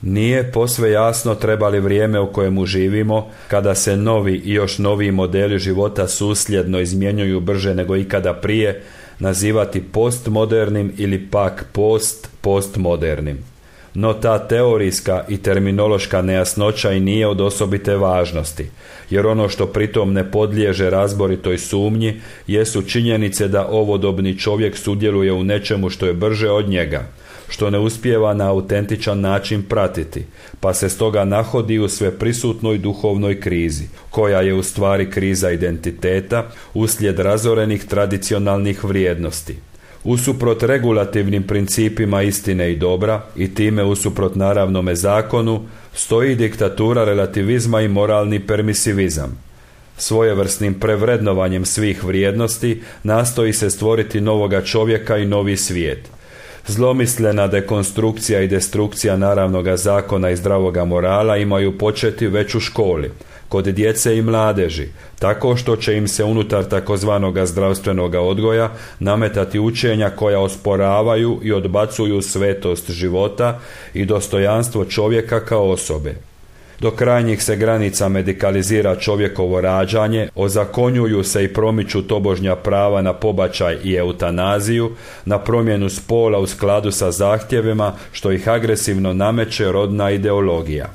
Nije posve jasno treba li vrijeme u kojemu živimo, kada se novi i još noviji modeli života susljedno izmjenjuju brže nego ikada prije, nazivati postmodernim ili pak postmodernim. No ta teorijska i terminološka nejasnoća i nije od osobite važnosti, jer ono što pritom ne podliježe razboritoj sumnji jesu činjenice da ovodobni čovjek sudjeluje u nečemu što je brže od njega, što ne uspijeva na autentičan način pratiti, pa se stoga nahodi u sveprisutnoj duhovnoj krizi, koja je u stvari kriza identiteta uslijed razorenih tradicionalnih vrijednosti. Usuprot regulativnim principima istine i dobra i time usuprot naravnome zakonu stoji diktatura relativizma i moralni permisivizam. Svojevrsnim prevrednovanjem svih vrijednosti nastoji se stvoriti novoga čovjeka i novi svijet. Zlomislena dekonstrukcija i destrukcija naravnoga zakona i zdravoga morala imaju početi već u školi, kod djece i mladeži, tako što će im se unutar takozvanoga zdravstvenoga odgoja nametati učenja koja osporavaju i odbacuju svetost života i dostojanstvo čovjeka kao osobe. Do krajnjih se granica medikalizira čovjekovo rađanje, ozakonjuju se i promiču tobožnja prava na pobačaj i eutanaziju, na promjenu spola u skladu sa zahtjevima što ih agresivno nameće rodna ideologija.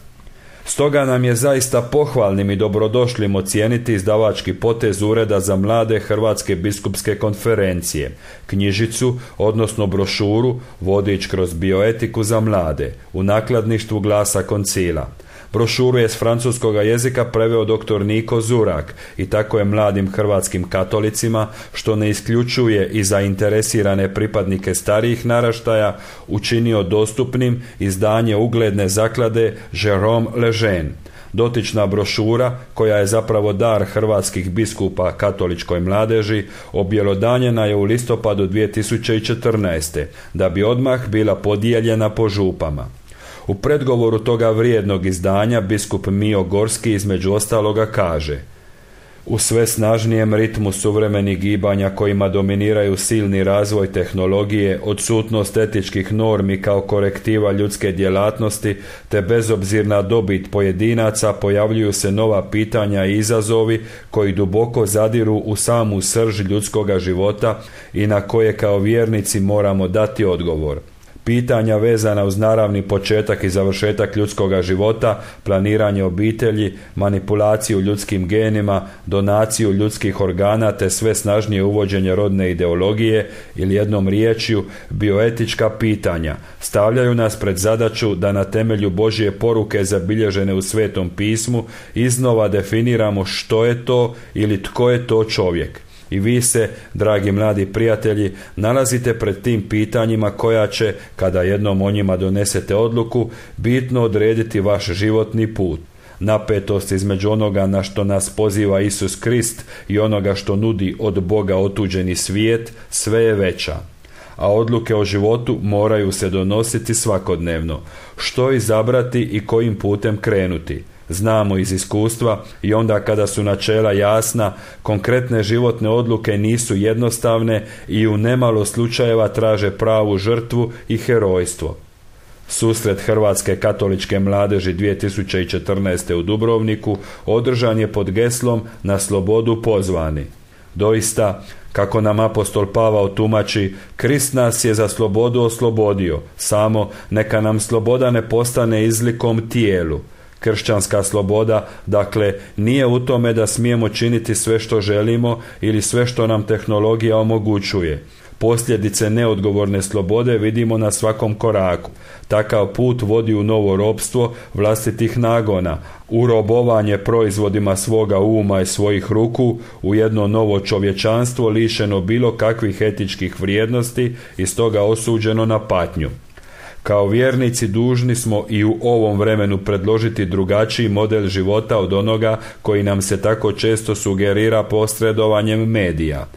Stoga nam je zaista pohvalnim i dobrodošlim ocijeniti izdavački potez Ureda za mlade Hrvatske biskupske konferencije, knjižicu, odnosno brošuru Vodič kroz bioetiku za mlade, u nakladništvu Glasa Koncila. Brošuru je s francuskoga jezika preveo dr. Niko Zurak i tako je mladim hrvatskim katolicima, što ne isključuje i zainteresirane pripadnike starijih naraštaja, učinio dostupnim izdanje ugledne zaklade Jérôme Lejeune. Dotična brošura, koja je zapravo dar hrvatskih biskupa katoličkoj mladeži, objelodanjena je u listopadu 2014. da bi odmah bila podijeljena po župama. U predgovoru toga vrijednog izdanja biskup Mio Gorski između ostaloga kaže: u sve snažnijem ritmu suvremenih gibanja kojima dominiraju silni razvoj tehnologije, odsutnost etičkih normi kao korektiva ljudske djelatnosti te bezobzirna dobit pojedinaca, pojavljuju se nova pitanja i izazovi koji duboko zadiru u samu srž ljudskoga života i na koje kao vjernici moramo dati odgovor. Pitanja vezana uz naravni početak i završetak ljudskoga života, planiranje obitelji, manipulaciju ljudskim genima, donaciju ljudskih organa te sve snažnije uvođenje rodne ideologije ili jednom riječju bioetička pitanja stavljaju nas pred zadaću da na temelju Božje poruke zabilježene u Svetom pismu iznova definiramo što je to ili tko je to čovjek. I vi se, dragi mladi prijatelji, nalazite pred tim pitanjima koja će, kada jednom o njima donesete odluku, bitno odrediti vaš životni put. Napetost između onoga na što nas poziva Isus Krist i onoga što nudi od Boga otuđeni svijet sve je veća. A odluke o životu moraju se donositi svakodnevno. Što izabrati i kojim putem krenuti? Znamo iz iskustva i onda kada su načela jasna, konkretne životne odluke nisu jednostavne i u nemalo slučajeva traže pravu žrtvu i herojstvo. Susret Hrvatske katoličke mladeži 2014. u Dubrovniku održan je pod geslom Na slobodu pozvani. Doista, kako nam apostol Pavao tumači, Krist nas je za slobodu oslobodio, samo neka nam sloboda ne postane izlikom tijelu. Kršćanska sloboda, dakle, nije u tome da smijemo činiti sve što želimo ili sve što nam tehnologija omogućuje. Posljedice neodgovorne slobode vidimo na svakom koraku. Takav put vodi u novo ropstvo vlastitih nagona, u robovanje proizvodima svoga uma i svojih ruku, u jedno novo čovječanstvo lišeno bilo kakvih etičkih vrijednosti i stoga osuđeno na patnju. Kao vjernici dužni smo i u ovom vremenu predložiti drugačiji model života od onoga koji nam se tako često sugerira posredovanjem medija.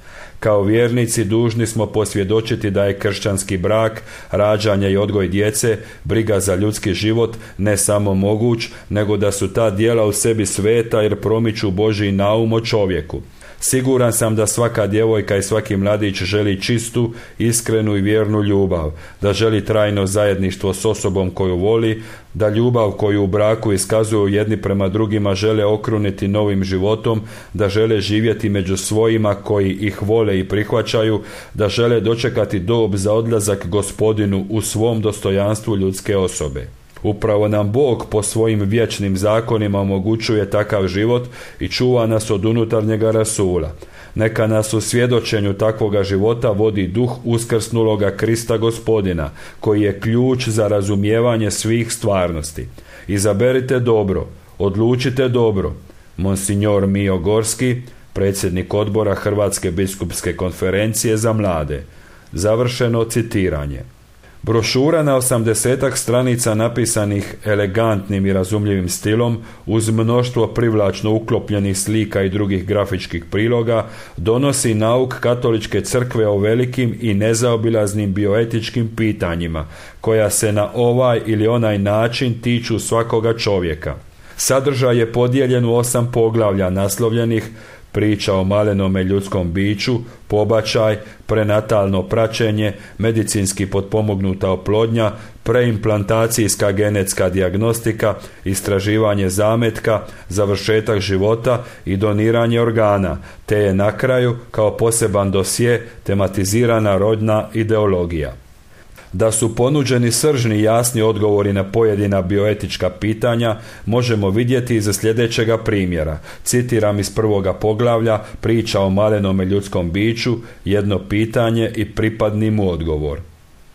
Kao vjernici dužni smo posvjedočiti da je kršćanski brak, rađanje i odgoj djece, briga za ljudski život ne samo moguć, nego da su ta djela u sebi sveta jer promiču Božji naum o čovjeku. Siguran sam da svaka djevojka i svaki mladić želi čistu, iskrenu i vjernu ljubav, da želi trajno zajedništvo s osobom koju voli, da ljubav koju u braku iskazuju jedni prema drugima žele okruniti novim životom, da žele živjeti među svojima koji ih vole i prihvaćaju, da žele dočekati dob za odlazak Gospodinu u svom dostojanstvu ljudske osobe. Upravo nam Bog po svojim vječnim zakonima omogućuje takav život i čuva nas od unutarnjega rasula. Neka nas u svjedočenju takvoga života vodi duh uskrsnuloga Krista Gospodina, koji je ključ za razumijevanje svih stvarnosti. Izaberite dobro, odlučite dobro. Monsignor Mio Gorski, predsjednik odbora Hrvatske biskupske konferencije za mlade. Završeno citiranje. Brošura na 80 stranica napisanih elegantnim i razumljivim stilom, uz mnoštvo privlačno uklopljenih slika i drugih grafičkih priloga, donosi nauk Katoličke crkve o velikim i nezaobilaznim bioetičkim pitanjima, koja se na ovaj ili onaj način tiču svakoga čovjeka. Sadržaj je podijeljen u 8 poglavlja naslovljenih: priča o malenome ljudskom biću, pobačaj, prenatalno praćenje, medicinski potpomognuta oplodnja, preimplantacijska genetska dijagnostika, istraživanje zametka, završetak života i doniranje organa, te je na kraju kao poseban dosje tematizirana rodna ideologija. Da su ponuđeni sržni jasni odgovori na pojedina bioetička pitanja možemo vidjeti iz sljedećega primjera. Citiram iz 1. poglavlja priča o malenome ljudskom biću, jedno pitanje i pripadni mu odgovor.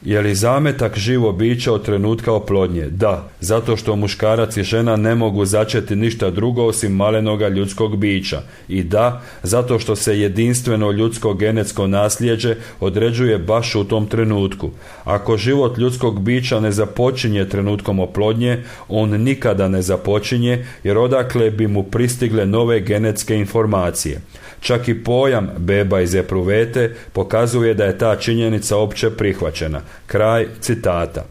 Je li zametak živo biće od trenutka oplodnje? Da, zato što muškarac i žena ne mogu začeti ništa drugo osim malenoga ljudskog bića. I da, zato što se jedinstveno ljudsko genetsko nasljeđe određuje baš u tom trenutku. Ako život ljudskog bića ne započinje trenutkom oplodnje, on nikada ne započinje, jer odakle bi mu pristigle nove genetske informacije. Čak i pojam beba iz epruvete pokazuje da je ta činjenica opće prihvaćena. Kraj citata.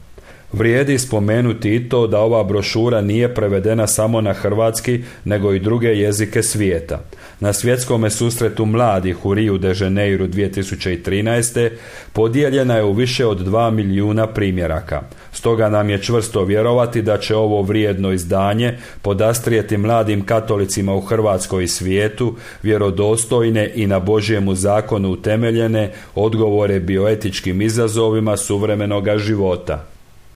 Vrijedi spomenuti i to da ova brošura nije prevedena samo na hrvatski, nego i druge jezike svijeta. Na svjetskome susretu mladih u Rio de Janeiro 2013. podijeljena je u više od 2 milijuna primjeraka. Stoga nam je čvrsto vjerovati da će ovo vrijedno izdanje podastrijeti mladim katolicima u Hrvatskoj i svijetu vjerodostojne i na Božjemu zakonu utemeljene odgovore bioetičkim izazovima suvremenoga života.